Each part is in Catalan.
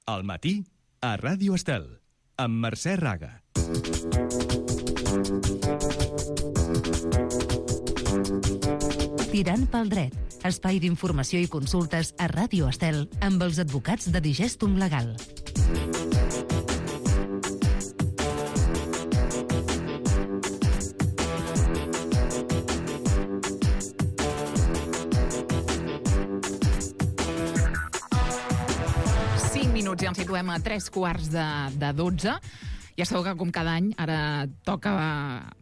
Al matí, a Ràdio Estel, amb Mercè Raga. Tirant pel dret, espai d'informació i consultes a Ràdio Estel amb els advocats de Digestum Legal. Ja ens situem a 3:15. Ja sabeu que, com cada any, ara toca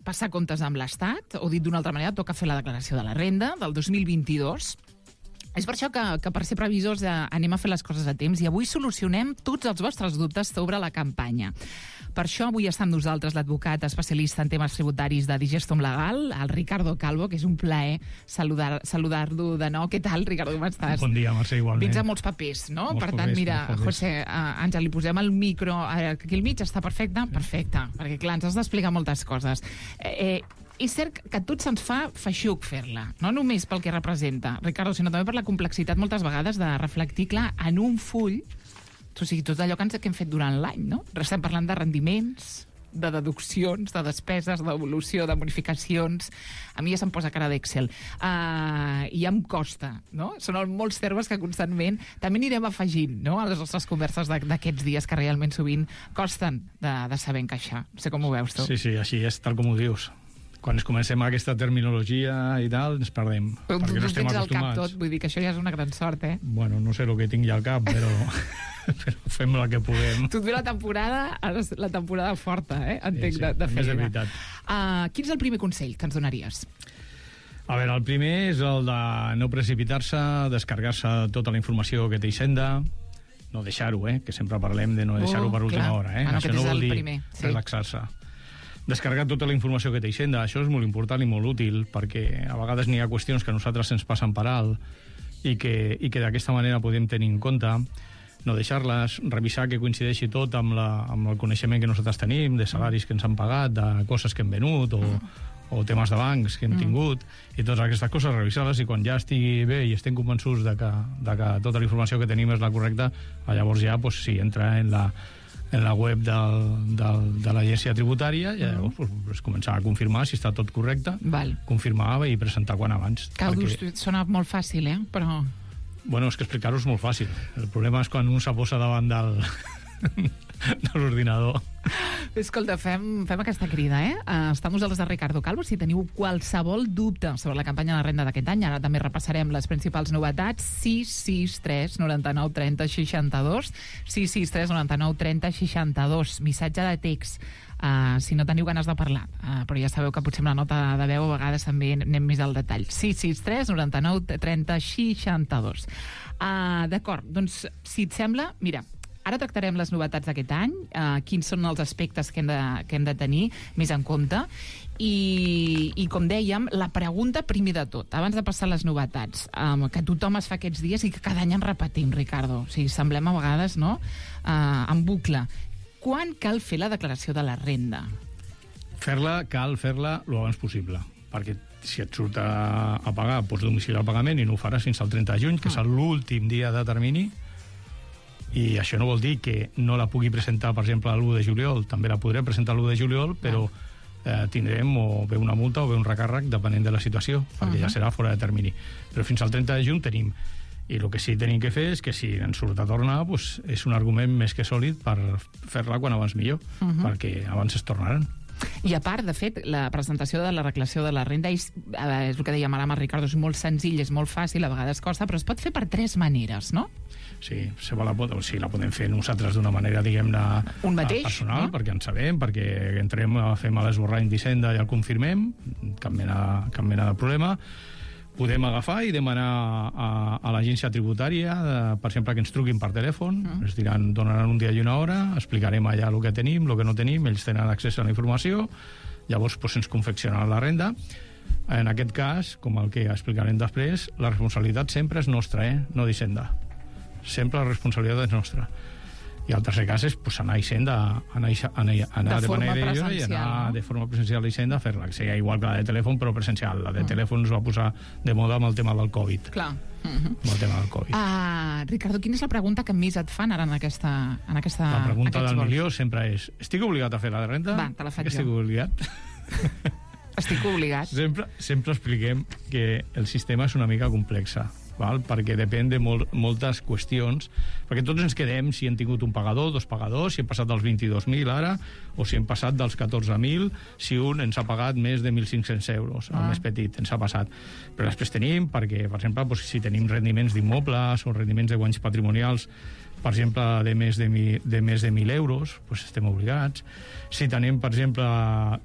passar comptes amb l'Estat, o dit d'una altra manera, toca fer la declaració de la renda del 2022. És per això que per ser previsors anem a fer les coses a temps i avui solucionem tots els vostres dubtes sobre la campanya. Per això avui està amb nosaltres l'advocat especialista en temes tributaris de Digestum Legal, el Ricardo Calvo, que és un plaer saludar-lo de nou. Què tal, Ricardo, com estàs? Bon dia, Mercè, igualment. Vens amb molts papers, no? Molts per tant, papers, mira, José, Àngel, li posem el micro aquí al mig, està perfecte? Sí. Perfecte, perquè clar, ens has d'explicar moltes coses. És cert que a tots se'ns fa feixuc fer-la, no només pel que representa, Ricardo, sinó també per la complexitat moltes vegades de reflectir clar en un full, o sigui, tot allò que hem fet durant l'any, no? Estem parlant de rendiments, de deduccions, de despeses, d'evolució, de bonificacions. A mi ja se'm posa cara d'Excel. I ja em costa, no? Són molts termes que constantment també anirem afegint, no?, a les nostres converses d'aquests dies que realment sovint costen de saber encaixar. No sé com ho veus tu. Sí, així és, tal com ho dius. Quan es comencem aquesta terminologia i tal, ens perdem. Però perquè no estem tens al cap acostumats. tot, vull dir que això ja és una gran sort, eh? Bueno, no sé el que tinc ja al cap, però fem el que puguem. Tu et ve la temporada forta, entenc, Sí, de més feina. de veritat. Quin és el primer consell que ens donaries? A veure, el primer és el de no precipitar-se, descarregar-se tota la informació que té Hisenda, no deixar-ho, que sempre parlem de no deixar-ho per última hora. Això no vol dir relaxar-se. Descarregar tota la informació que té Hisenda, això és molt important i molt útil, perquè a vegades n'hi ha qüestions que a nosaltres ens passen per alt i que d'aquesta manera podem tenir en compte, no deixar-les, revisar que coincideixi tot amb el coneixement que nosaltres tenim, de salaris que ens han pagat, de coses que hem venut o temes de bancs que hem tingut, i totes aquestes coses, revisar-les, i quan ja estigui bé i estem convençuts de que tota la informació que tenim és la correcta, llavors ja, si entra en la web de l'agència tributària, i llavors començar a confirmar si està tot correcte, confirmar i presentar quan abans. Sona molt fàcil, però... Bueno, és que explicar-ho és molt fàcil. El problema és quan un se posa davant de l'ordinador. Escolta, fem aquesta crida, Està amb nosaltres el Ricardo Calvo. Si teniu qualsevol dubte sobre la campanya de la renda d'aquest any, ara també repassarem les principals novetats. 663 99 30 62 663 99 30 62. Missatge de text, si no teniu ganes de parlar, però ja sabeu que potser amb la nota de veu a vegades també anem més al detall. 663 99 30 62. D'acord, doncs si et sembla, mira, ara tractarem les novetats d'aquest any, quins són els aspectes que hem de tenir més en compte, i com dèiem, la pregunta primer de tot, abans de passar les novetats, que tothom es fa aquests dies i que cada any en repetim, Ricardo. O sigui, semblem a vegades, no?, en bucle. Quan cal fer la declaració de la renda? Cal fer-la lo abans possible, perquè si et surt a pagar, pots domiciliar el pagament i no ho faràs fins al 30 de juny, que és l'últim dia de termini, i això no vol dir que no la pugui presentar, per exemple, l'1 de juliol. També la podrem presentar l'1 de juliol, però tindrem o bé una multa o bé un recàrrec, depenent de la situació, perquè ja serà fora de termini. Però fins al 30 de juny tenim. I el que sí que tenim que fer és que si ens surt a tornar, és un argument més que sòlid per fer-la quan abans millor, perquè abans es tornaran. I a part, de fet, la presentació de la declaració de la renda és el que dèiem ara amb el Ricardo, és molt senzill, és molt fàcil, a vegades costa, però es pot fer per 3 maneres, no? Sí, la podem fer nosaltres d'una manera, diguem-ne, personal, perquè en sabem, perquè fem l'esborrany d'Hisenda i el confirmem, cap mena de problema. Podem agafar i demanar a l'agència tributària, per exemple, que ens truquin per telèfon, ens donaran un dia i una hora, explicarem allà el que tenim, el que no tenim, ells tenen accés a la informació, llavors ens confeccionaran la renda. En aquest cas, com el que explicarem després, la responsabilitat sempre és nostra, no d'Hisenda. Sempre la responsabilitat és nostra. I el tercer cas és anar a Hisenda, anar de manera i anar de forma presencial a Hisenda a fer-la, que sigui igual que la de telèfon, però presencial. La de telèfon es va posar de moda amb el tema del Covid. Clar. Amb el tema del Covid. Ricardo, quina és la pregunta que més et fan ara en aquesta La pregunta del milió sempre és: estic obligat a fer la de renda? Va, te la faig jo. Estic obligat? Estic obligat. Sempre expliquem que el sistema és una mica complexa, val? Perquè depèn de moltes qüestions, perquè tots ens quedem si hem tingut un pagador, dos pagadors, si hem passat dels 22.000 ara, o si hem passat dels 14.000, si un ens ha pagat més de 1.500 euros, el més petit ens ha passat. Però després tenim, perquè, per exemple, si tenim rendiments d'immobles o rendiments de guanys patrimonials, per exemple, de més de 1.000 euros, doncs estem obligats. Si tenim, per exemple,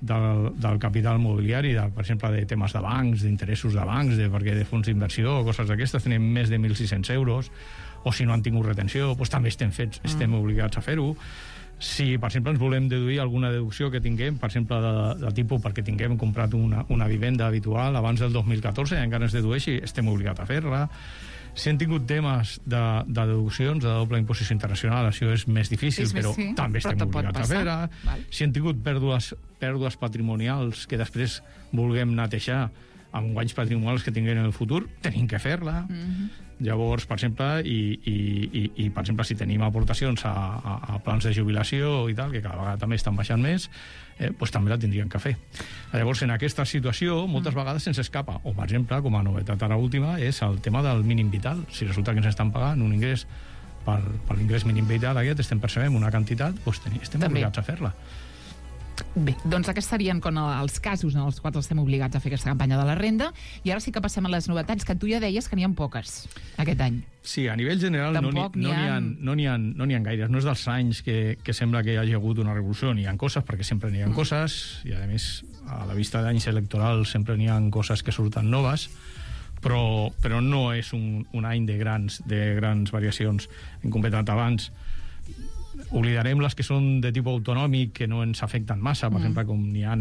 del capital mobiliari, per exemple, de temes de bancs, d'interessos de bancs, perquè de fons d'inversió o coses d'aquestes, tenim més de 1.600 euros, o si no han tingut retenció, doncs també estem obligats a fer-ho. Si, per exemple, ens volem deduir alguna deducció que tinguem, per exemple, de tipus perquè tinguem comprat una vivenda habitual abans del 2014 i encara es dedueixi, estem obligats a fer-la. Si han tingut temes de deduccions de doble imposició internacional, això és més difícil, però també estem obligats a fer-la. Si han tingut pèrdues patrimonials que després vulguem netejar amb guanys patrimonials que tinguem en el futur, tenim que fer-la. Llavors, per exemple, per exemple, si tenim aportacions a plans de jubilació i tal, que cada vegada també estan baixant més, doncs també la tindrien que fer. Llavors, en aquesta situació, moltes vegades se'ns escapa. O, per exemple, com a novetat ara última, és el tema del mínim vital. Si resulta que ens estan pagant un ingrés per l'ingrés mínim vital aquest, estem percebent una quantitat, doncs estem obligats a fer-la. Bé, doncs aquests serien els casos en els quals estem obligats a fer aquesta campanya de la renda, i ara sí que passem a les novetats, que tu ja deies que n'hi ha poques aquest any. Sí, a nivell general no n'hi ha gaires. No és dels anys que sembla que hi hagi hagut una revolució. N'hi ha coses, perquè sempre n'hi ha coses, i a més, a la vista d'anys electorals sempre n'hi ha coses que surten noves, però no és un any de grans variacions. Hem comentat abans, oblidarem les que són de tipus autonòmic, que no ens afecten massa, per exemple, com n'hi ha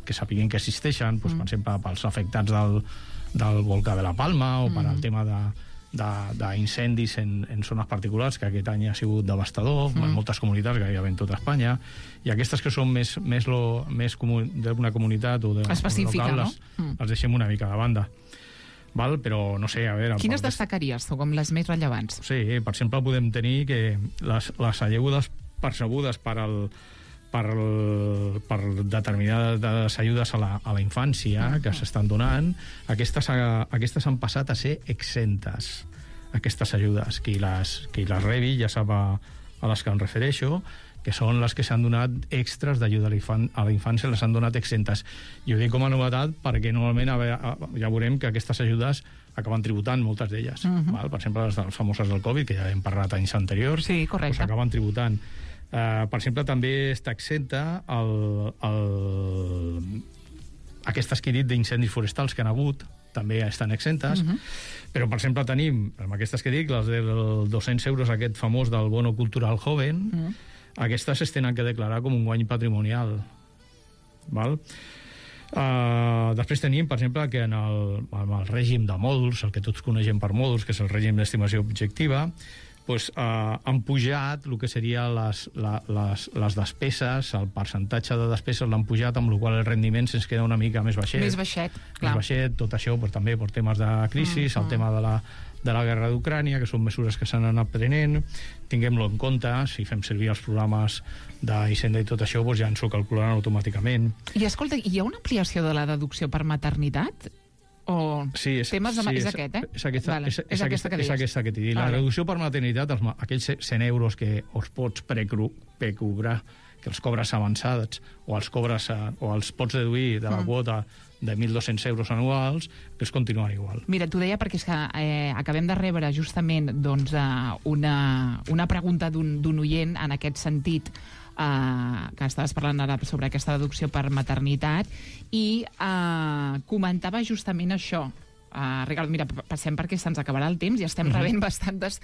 que sapiguem que existeixen, per exemple, pels afectats del volcà de la Palma, o per al tema d'incendis en zones particulars, que aquest any ha sigut devastador, en moltes comunitats, gairebé en tota Espanya, i aquestes que són més d'una comunitat o específica, local, les deixem una mica de banda. Però no sé, a veure... Quines destacaries tu com les més rellevants? Sí, per exemple, podem tenir que les ajudes percebudes per determinades ajudes a la infància que s'estan donant, aquestes han passat a ser exentes, aquestes ajudes. Qui les rebi ja sap a les que em refereixo, que són les que s'han donat extras d'ajuda a la infància, les han donat exentes. I ho dic com a novetat perquè normalment ja veurem que aquestes ajudes acaben tributant, moltes d'elles. Per exemple, les famoses del Covid, que ja hem parlat anys anteriors, sí, correcte, acaben tributant. Per exemple, també està exenta aquestes que he dit d'incendis forestals que han hagut, també estan exentes, però, per exemple, tenim, amb aquestes que dic, les dels 200 euros, aquest famós del bono cultural joven, aquestes es tenen que declarar com un guany patrimonial. Després tenim, per exemple, que en el règim de mòduls, el que tots coneixem per mòduls, que és el règim d'estimació objectiva, han pujat el que serien les despeses, el percentatge de despeses l'han pujat, amb la qual cosa el rendiment se'ns queda una mica més baixet. Més baixet, clar. Més baixet, tot això també per temes de crisi, el tema de la guerra d'Ucrània, que són mesures que s'han anat prenent. Tinguem-lo en compte, si fem servir els programes d'Hisenda i tot això, ja ens ho calcularan automàticament. I escolta, hi ha una ampliació de la deducció per maternitat? Sí, és aquest, eh? És aquesta que t'he dit. La reducció per maternitat, aquells 100 euros que els pots precobrar, que els cobres avançats, o els pots deduir de la quota de 1.200 euros anuals, que es continuen igual. Mira, t'ho deia perquè és que acabem de rebre justament una pregunta d'un oient en aquest sentit, que estaves parlant ara sobre aquesta deducció per maternitat, i comentava justament això. Ricardo, mira, passem perquè se'ns acabarà el temps i estem rebent bastantes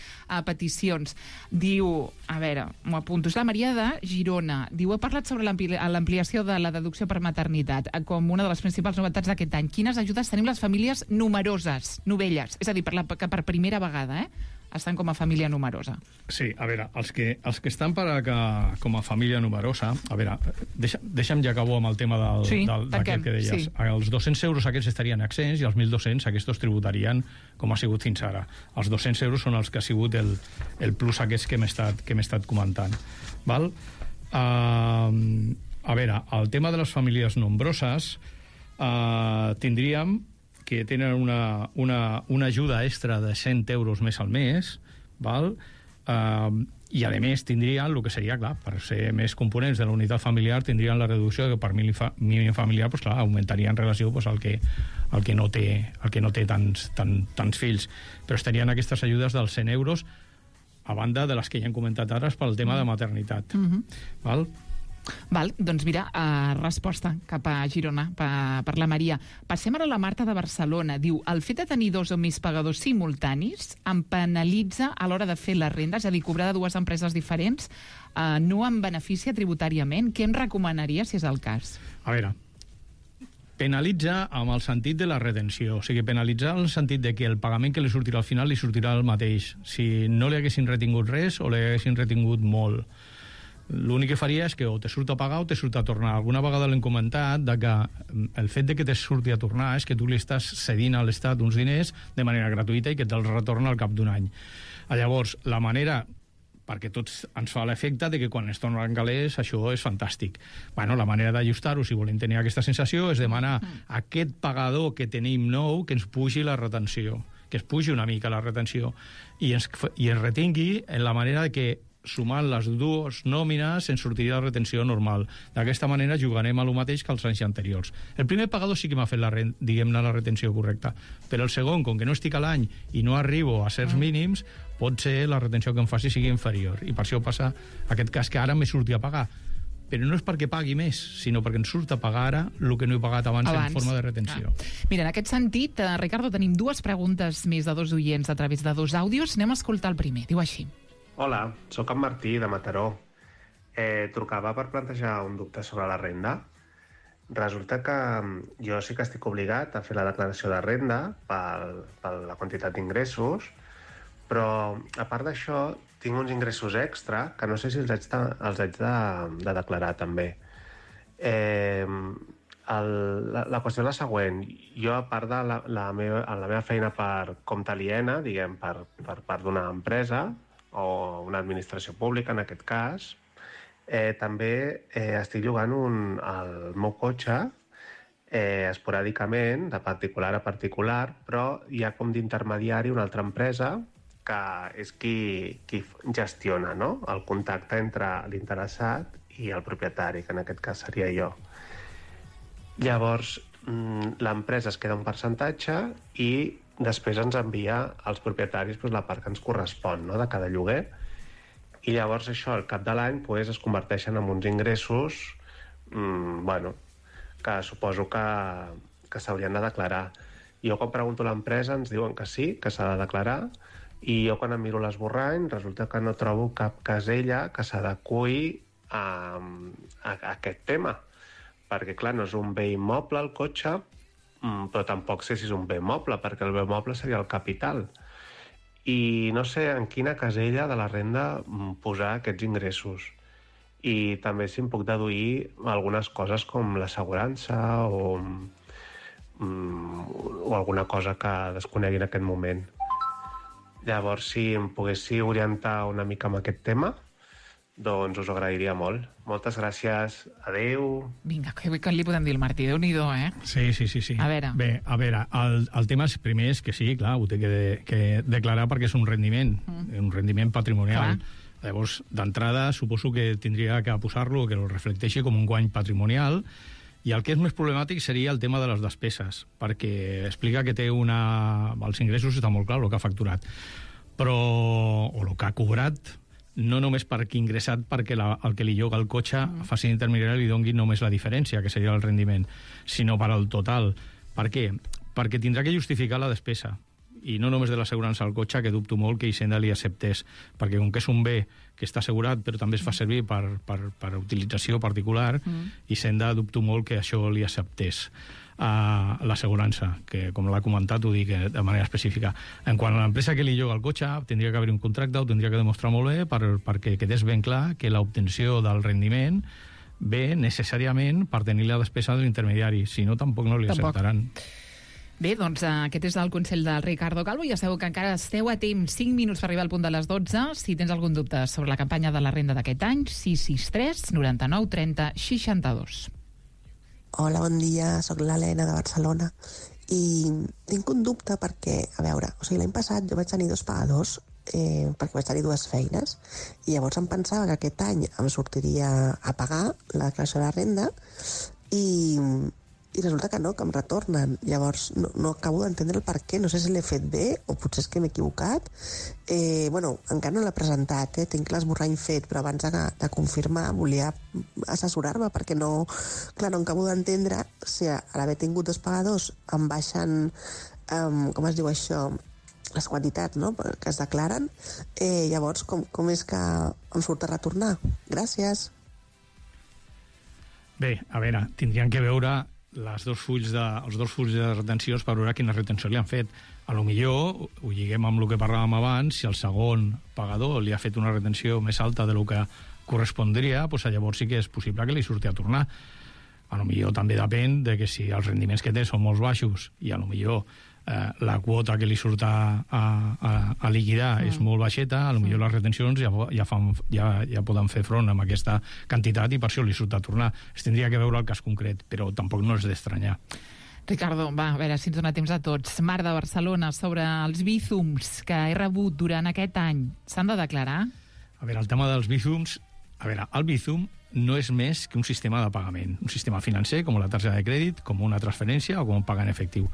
peticions. Diu, a veure, m'ho apunto, és la Maria de Girona. Diu, he parlat sobre l'ampliació de la deducció per maternitat com una de les principals novetats d'aquest any. Quines ajudes tenim les famílies numeroses, novelles? És a dir, que per primera vegada, estan com a família numerosa. Sí, a veure, els que estan com a família numerosa, a veure, deixa'm ja acabo amb el tema d'aquest que deies. Sí. Els 200 euros aquests estarien accents i els 1.200 aquests tributarien com ha sigut fins ara. Els 200 euros són els que ha sigut el plus aquests que m'he estat comentant. Val? A veure, el tema de les famílies nombroses tindríem que tenen una ajuda extra de 100 euros més al mes, val? I a més tindrien el que seria, clar, per ser més components de la unitat familiar, tindrien la reducció que per mínim familiar, pues, clar, augmentaria en relació pues, al que no té tants fills. Però estarien aquestes ajudes dels 100 euros a banda de les que ja hem comentat ara pel tema de maternitat. Val? Val, doncs mira, resposta cap a Girona per la Maria. Passem ara a la Marta de Barcelona. Diu, el fet de tenir 2 o més pagadors simultanis em penalitza a l'hora de fer la renda, és a dir, cobrar de 2 empreses diferents, no em beneficia tributàriament. Què em recomanaria si és el cas? A veure, penalitza amb el sentit de la retenció, o sigui, penalitzar en el sentit de que el pagament que li sortirà al final li sortirà el mateix, si no li haguessin retingut res o li haguessin retingut molt. L'únic que faria és que o te surt a pagar o te surt a tornar. Alguna vegada l'hem comentat que el fet de que te surti a tornar és que tu li estàs cedint a l'Estat uns diners de manera gratuïta i que te'ls retorna al cap d'un any. Llavors, la manera, perquè tots ens fa l'efecte de que quan es tornen calés això és fantàstic. Bueno, la manera d'ajustar-ho, si volem tenir aquesta sensació, és demanar a aquest pagador que tenim nou que ens pugi la retenció, que es pugi una mica la retenció i ens retingui en la manera de que sumant les dues nòmines ens sortiria la retenció normal. D'aquesta manera jugarem a lo mateix que els anys anteriors. El primer pagador sí que m'ha fet la retenció correcta, però el segon, com que no estic a l'any i no arribo a certs mínims, pot ser la retenció que em faci sigui inferior. I per això passa aquest cas que ara me surti a pagar. Però no és perquè pagui més, sinó perquè ens surt a pagar ara el que no he pagat abans en forma de retenció. Mira, en aquest sentit, Ricardo, tenim 2 preguntes més de 2 oients a través de 2 àudios. Anem a escoltar el primer. Diu així. Hola, sóc en Martí, de Mataró. Trucava per plantejar un dubte sobre la renda. Resulta que jo sí que estic obligat a fer la declaració de renda per la quantitat d'ingressos, però a part d'això tinc uns ingressos extra que no sé si els haig de declarar també. La qüestió és la següent. Jo, a part de la meva feina per compte aliena, diguem, per part d'una empresa, o una administració pública, en aquest cas, també estic llogant el meu cotxe esporàdicament, de particular a particular, però hi ha com d'intermediari una altra empresa que és qui gestiona, no?, el contacte entre l'interessat i el propietari, que en aquest cas seria jo. Llavors, l'empresa es queda un percentatge i després ens envia als propietaris la part que ens correspon, no?, de cada lloguer, i llavors això al cap de l'any es converteixen en uns ingressos que suposo que s'haurien de declarar. Jo quan pregunto a l'empresa ens diuen que sí, que s'ha de declarar, i jo quan em miro l'esborrany resulta que no trobo cap casella que s'adeqüi a aquest tema, perquè clar, no és un bé immoble el cotxe, però tampoc sé si és un bé moble, perquè el bé moble seria el capital. I no sé en quina casella de la renda posar aquests ingressos. I també si em puc deduir algunes coses com l'assegurança o alguna cosa que desconegui en aquest moment. Llavors, si em poguéssiu orientar una mica amb aquest tema, doncs us ho agrairia molt. Moltes gràcies. Adéu. Vinga, què li podem dir al Martí? Déu-n'hi-do, Sí. A veure. Bé, a veure, el tema primer és que sí, clar, ho té que declarar perquè és un rendiment patrimonial. Clar. Llavors, d'entrada, suposo que tindria que posar-lo, que ho reflecteixi com un guany patrimonial, i el que és més problemàtic seria el tema de les despeses, perquè explica que té els ingressos està molt clar, el que ha facturat, o el que ha cobrat, no només perquè ingressat perquè el que li lloga el cotxe faci intermediari li doni només la diferència, que seria el rendiment, sinó per al total. Per què? Perquè tindrà que justificar la despesa, i no només de l'assegurança al cotxe, que dubto molt que Hisenda li acceptés, perquè com que és un bé que està assegurat però també es fa servir per utilització particular, Hisenda dubto molt que això li acceptés. l'assegurança, que com l'ha comentat ho dic de manera específica. En quant a l'empresa que li lloga el cotxe, tindria que haver un contracte, ho tindria que demostrar molt bé perquè quedés ben clar que l'obtenció del rendiment ve necessàriament per tenir la despesa de l'intermediari, si no tampoc no li acceptaran. Bé, doncs aquest és el consell del Ricardo Calvo. Ja sabeu que encara esteu a temps, 5 minuts per arribar al punt de les 12. Si tens algun dubte sobre la campanya de la renda d'aquest any, 663 99 30 62. Hola, bon dia, sóc l'Helena de Barcelona i tinc un dubte perquè, a veure, l'any passat jo vaig tenir 2 pagadors perquè vaig tenir 2 feines i llavors em pensava que aquest any em sortiria a pagar la declaració de la renda i resulta que no, que em retornen. Llavors no acabo d'entendre el per què, no sé si l'he fet bé o potser és que m'he equivocat. Encara no l'he presentat, tinc l'esborrany fet, però abans de confirmar volia assessorar-me perquè no acabo d'entendre si a l'haver tingut 2 pagadors em baixen, com es diu això, les quantitats, no?, que es declaren. Llavors, com és que em surt a retornar? Gràcies. Bé, a veure, tindrien que veure els 2 fulls de retencions per veure quina retenció li han fet. A lo millor ho lliguem amb el que parlàvem abans, si el segon pagador li ha fet una retenció més alta de lo que correspondria, doncs llavors sí que és possible que li surti a tornar. A lo millor també depèn de que si els rendiments que té són molt baixos i a lo millor la quota que li surt a liquidar és molt baixeta, a lo millor les retencions ja poden fer front amb aquesta quantitat i per això li surt a tornar. Es tindria que veure el cas concret, però tampoc no és d'estranyar. Ricardo, va, a veure si ens dona temps a tots. Mar de Barcelona, sobre els bízums que he rebut durant aquest any, s'han de declarar? A veure, el tema dels bízums... A veure, el bízum no és més que un sistema de pagament, un sistema financer, com la targeta de crèdit, com una transferència o com un pagament efectiu.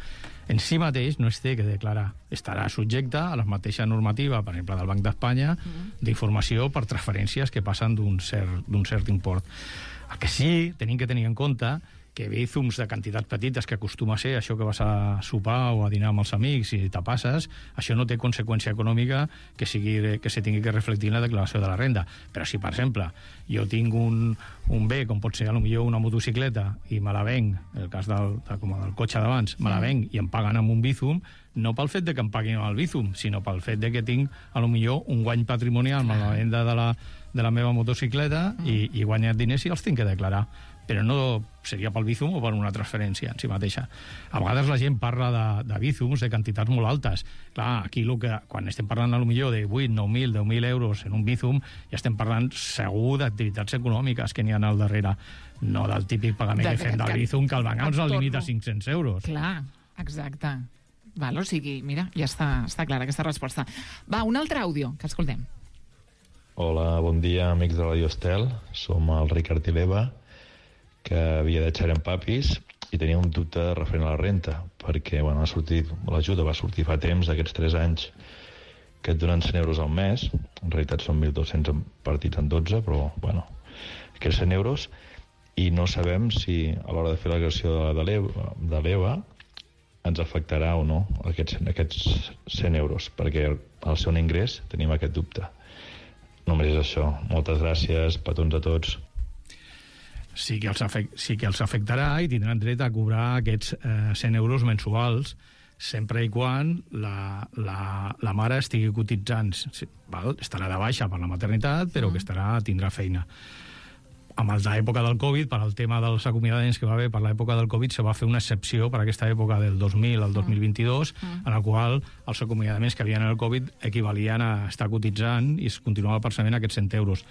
En si mateix no es té que declarar. Estarà subjecte a la mateixa normativa, per exemple, del Banc d'Espanya, d'informació per transferències que passen d'un cert import. El que sí tenim que tenir en compte que bízums de quantitats petites, que acostuma a ser això que vas a sopar o a dinar amb els amics i te passes, això no té conseqüència econòmica que se tingui que reflectir en la declaració de la renda. Però si, per exemple, jo tinc un bé, com pot ser potser una motocicleta, i me la venc, el cas com el cotxe d'abans, me la venc i em paguen amb un bízum, no pel fet de que em paguin amb el bízum, sinó pel fet de que tinc, potser, un guany patrimonial amb la venda de la meva motocicleta i he guanyat diners i els tinc que declarar. Però no seria pel bízum o per una transferència en si mateixa. A vegades la gent parla de bízums de quantitats molt altes. Clar, aquí quan estem parlant potser de 8, 9.000, 10.000 euros en un bízum, ja estem parlant segur d'activitats econòmiques que n'hi ha al darrere, no del típic pagament que fem del bízum, que el banc ens el limita a 500 euros. Clar, exacte. Val, o sigui, mira, ja està clara aquesta resposta. Va, un altre àudio, que escoltem. Hola, bon dia, amics de Radio Estel. Som el Ricard i l'Eva, que havia de xerrar amb papis i tenia un dubte referent a la renta, perquè l'ajuda va sortir fa temps, aquests 3 anys, que et donen 100 euros al mes, en realitat són 1.200 partits en 12, però, aquests 100 euros, i no sabem si a l'hora de fer la declaració de l'EVA ens afectarà o no aquests 100 euros, perquè al ser un ingrés tenim aquest dubte. Només és això. Moltes gràcies, petons a tots. Sí que els afectarà i tindran dret a cobrar aquests 100 euros mensuals sempre i quan la mare estigui cotitzant. Estarà de baixa per la maternitat, però que tindrà feina. Amb l'època del Covid, per al tema dels acomiadaments que va haver per l'època del Covid, se va fer una excepció per aquesta època del 2000 al 2022, en la qual els acomiadaments que havien en el Covid equivalien a estar cotitzant i es continuava percebent aquests 100 euros.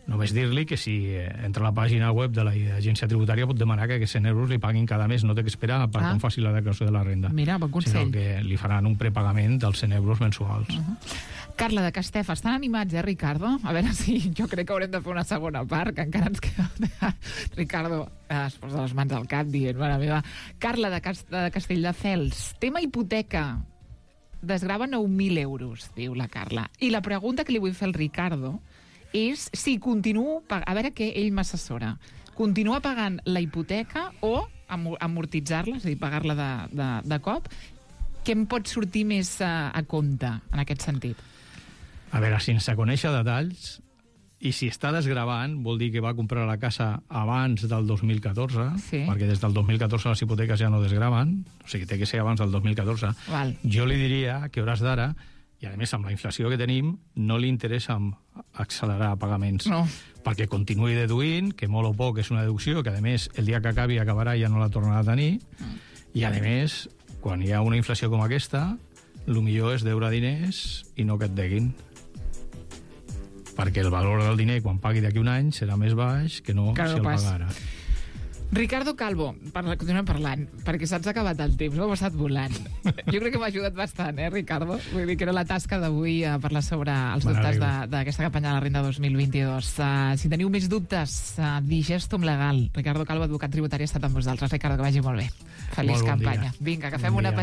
Només dir-li que si entra a la pàgina web de l'agència tributària pot demanar que aquests 100 euros li paguin cada mes, no té que esperar per quan faci la declaració de la renda. Mira, bon consell. Sinó que li faran un prepagament dels 100 euros mensuals. Carla de Castefa, estan animats, Ricardo? A veure si jo crec que haurem de fer una segona part, que encara ens queda... Ricardo es posa les mans al cap dient, mare meva. Carla de Castelldefels, tema hipoteca. Desgrava 9.000 euros, diu la Carla. I la pregunta que li vull fer al Ricardo és si continuo... A veure què ell m'assessora. Continua pagant la hipoteca o amortitzar-la, és a dir, pagar-la de cop? Què em pot sortir més a compte en aquest sentit? A veure, sense conèixer detalls, I si està desgravant, vol dir que va comprar la casa abans del 2014, perquè des del 2014 les hipoteques ja no desgraven, o sigui, té que ser abans del 2014. Val. Jo li diria que a hores d'ara, i a més amb la inflació que tenim, no li interessa accelerar pagaments. No. Perquè continuï deduint, que molt o poc és una deducció, que a més el dia que acabi acabarà i ja no la tornarà a tenir, i a més, quan hi ha una inflació com aquesta, el millor és deure diners i no que et deguin. Perquè el valor del diner, quan pagui d'aquí un any, serà més baix que no si el pagara. Ricardo Calvo, continuem parlant, perquè s'ha acabat el temps, ho ha passat volant. Jo crec que m'ha ajudat bastant, Ricardo? Vull dir que era la tasca d'avui parlar sobre els dubtes d'aquesta campanya de la renda 2022. Si teniu més dubtes, Digestum Legal. Ricardo Calvo, advocat tributari, ha estat amb vosaltres. Ricardo, que vagi molt bé. Feliç campanya. Vinga, que fem una petita